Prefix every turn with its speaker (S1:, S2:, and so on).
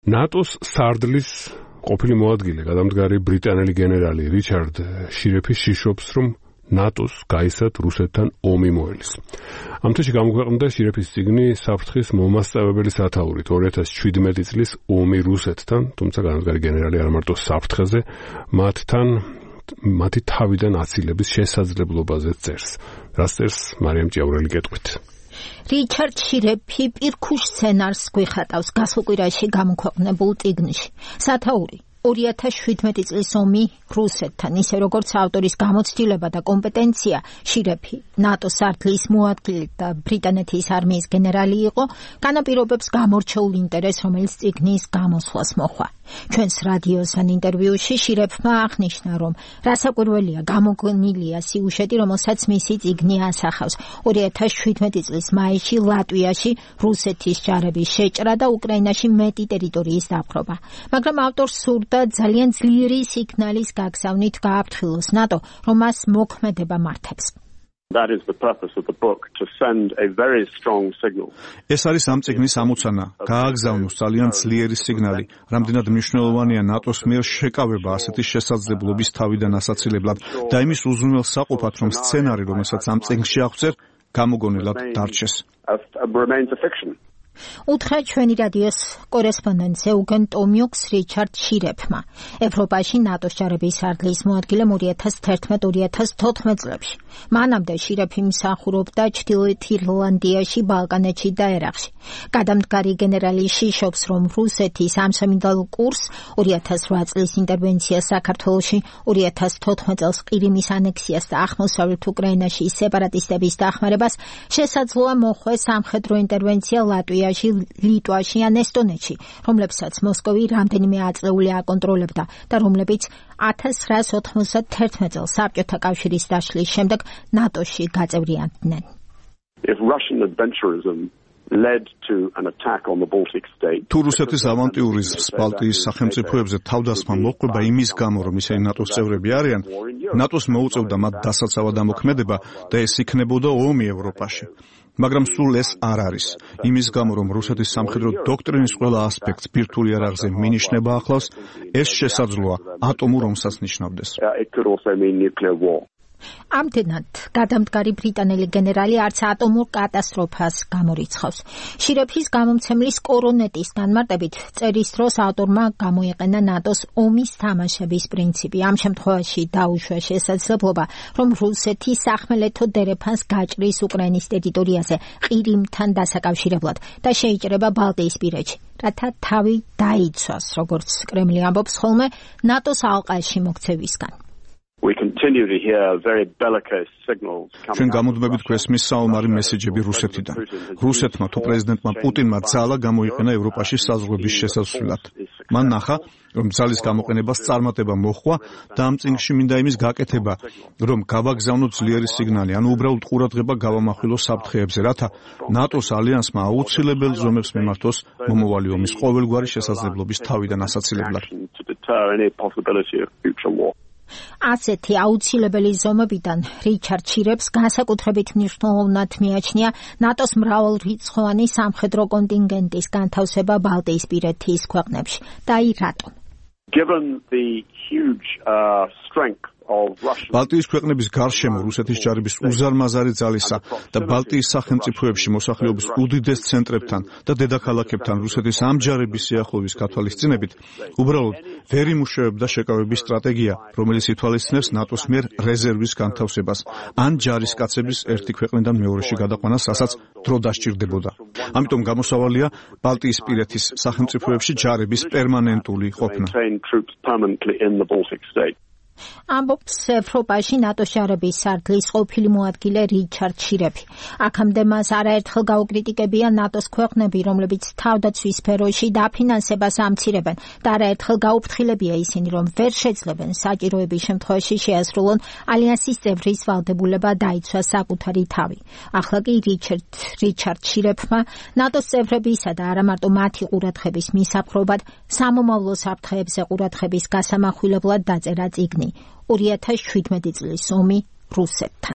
S1: ნატოს სარდლის ყოფილი მოადგილე, გადამდგარი ბრიტანელი გენერალი რიჩარდ შირეფი შიშობს, რომ ნატოს გაისად რუსეთთან ომი მოელის. ამ თვეში გამოქვეყნდა შირეფის წიგნი საფრთხის მომასწავებელი სათაურით 2017 წლის ომი რუსეთთან, თუმცა განადგარი გენერალი არ მარტო საფრთხეზე, მათი თავიდან აცილების შესაძლებლობაზე წერს. რას წერს მარიამ ჭიაურელი კეთყვით.
S2: რიჩარდ შირეფი პირქუშ სცენარს გვიხატავს გასულ კვირაში გამოქვეყნებულ წიგნში. სათაური 2017 წლის ომი რუსეთთან, ისე როგორც ავტორის გამოცდილება და კომპეტენცია, შირეფი ნატოს სარდლის მოადგილე და ბრიტანეთის არმიის გენერალი იყო, განაპირობებს გამორჩეულ ინტერესს, რომელიც წიგნის გამოსვლას მოჰყვა. ჩვენს რადიოსთან ინტერვიუში შირეფმა აღნიშნა, რომ რასაკვირველია გამოგონილია სიუჟეტი, რომელსაც მისი წიგნი ასახავს. 2017 წლის მაისში ლატვიაში რუსეთის ჯარების შეჭრა და უკრაინაში მეტი ტერიტორიის დაპყრობა. მაგრამ ავტორს სურდა ძალიან ძლიერი სიგნალის გაგზავნით გააფრთხილოს ნატო, რომ მას მოქმედება მართებს.
S3: That is the purpose of the book, to send a very strong signal.
S4: ეს არის ამ წიგნის ამოცანა, გააგზავნოს ძალიან ძლიერი სიგნალი, რამდენად მნიშვნელოვანია ნატოს მიერ შეკავება ასეთი შესაძლებლობის თავიდან ასაცილებლად და იმის უზრუნველსაყოფად, რომ სცენარი, რომელსაც ამ წიგნში აღწერ, გამოგონილად დარჩეს.
S2: უთხრა ჩვენი რადიოს კორესპონდენტ ეუგენ ტომიუქს რიჩარდ შირეფმა. ევროპაში ნატოს ჯარების სარდლის მოადგილემ 2011-2014 წლებში. მანამდე შირეფი მსახურობდა ჩრდილოეთ ირლანდიაში, ბალკანეთში და ერაყში. გადამდგარი გენერალი შიშობს, რომ რუსეთის ამსამინდალ კურსს 2008 წლის ინტერვენციას საქართველოში, 2014 წელს ყირიმის ანექსიას და აღმოსავლეთ უკრაინაში სეპარატისტების დახმარებას შესაძლოა მოხვდეს სამხედრო ინტერვენცია ლატვიაში, ლიტვაში ან ესტონეთში, რომლებსაც მოსკოვი რამდენიმე აწლეული აკონტროლებდა და რომლებიც 1991 წელს საბჭოთა კავშირის დაშლის შემდეგ ნატოში გაწევრიანდნენ.
S3: If Russian adventurism led to an attack on the Baltic states.
S4: თუ რუსეთის ავანტიურიზმს ბალტიის სახელმწიფოებზე თავდასხმა მოჰყვება იმის გამო, რომ ისინი ნატოს წევრები არიან, ნატოს მოუწევდა მათ დასაცავად ამოქმედება და ეს იქნებოდა ომი ევროპაში. მაგრამ სულ ეს არ არის. იმის გამო, რომ რუსეთის სამხედრო დოქტრინის ყველა ასპექტს ბირთვული იარაღზე მინიშნება ახლავს, ეს შესაძლოა ატომურ ომსაც ნიშნავდეს.
S2: ამდენად გადამდგარი ბრიტანელი გენერალი არც ატომურ კატასტროფას გამორიცხავს. შირეფის გამომცემლის კორონეტის განმარტებით წერის დროს ავტორმა გამოიყენა ნატოს ომის თამაშების პრინციპი. ამ შემთხვევაში დაუშვა შესაძლებლობა, რომ რუსეთი სახმელეთო დერეფანს გაჭრის უკრაინის ტერიტორიაზე ყირიმთან დასაკავშირებლად და შეიჭრება ბალტიისპირეთში, რათა თავი დაიცვას, როგორც კრემლი ამბობს ხოლმე, ნატოს ალყაში მოქცევისგან.
S3: We continue to hear very bellicose signals.
S4: ჩვენ გამოდმებით გვესმის საომარი მესეჯები რუსეთიდან. რუსეთმა თუ პრეზიდენტმა პუტინმა ძალა გამოიყენა ევროპაში საზღვრების შესასვლელად. მან ნახა, რომ ძალის გამოყენებას წარმატება მოჰყვა და ამ წიგნში მინდა იმის გაკეთება, რომ გავაგზავნოთ ძლიერი სიგნალი, ანუ უბრალოდ ყურადღება გავამახვილოს საფრთხეებზე, რათა ნატოს ალიანსმა აუცილებელ ზომებს მიმართოს მომავალი ომის ყოველგვარი შესაძლებლობის თავიდან ასაცილებლად.
S2: ასეთი აუცილებელი ზომებიდან რიჩარდ შირეფს განსაკუთრებით მნიშვნელოვნად მიაჩნია ნატოს მრავალრიცხოვანი სამხედრო კონტინგენტის განთავსება ბალტიისპირეთის ქვეყნებში. და აი რატომ?
S3: Given the huge strength
S4: ბალტიის ქვეყნების გარშემო რუსეთის ჯარების უზარმაზარი ძალისა და ბალტიის სახელმწიფოებში მოსახლეობის უდიდეს ცენტრებთან და დედაქალაქებთან რუსეთის ამ ჯარების სიახლოვის გათვალისწინებით, უბრალოდ ვერ იმუშავებდა შეკავების სტრატეგია, რომელიც ითვალისწინებს ნატოს მიერ რეზერვის განთავსებას ან ჯარისკაცების ერთი ქვეყნიდან მეორეში გადაყვანას, რასაც დრო დასჭირდებოდა. ამიტომ გამოსავალია ბალტიისპირეთის სახელმწიფოებში ჯარების პერმანენტული ყოფნა.
S2: ამბობს ევროპაში ნატოს ჯარების სარდლის ყოფილი მოადგილე რიჩარდ შირეფი. აქამდე მას არაერთხელ გაუკრიტიკებია ნატოს ქვეყნები, რომლებიც თავდაცვის სფეროში დაფინანსებას ამცირებენ და არაერთხელ გაუფრთხილებია ისინი, რომ ვერ შეძლებენ საჭიროების შემთხვევაში შეასრულონ ალიანსის წევრის ვალდებულება დაიცვას საკუთარი თავი. ახლა კი რიჩარდ შირეფმა ნატოს წევრებისა და არა მარტო მათი ყურადღების მისაპყრობად სამომავლო საფრთხეებზე ყურადღების გასამახვილებლად დაწერა წიგნი 2017 წლის ომი რუსეთთან.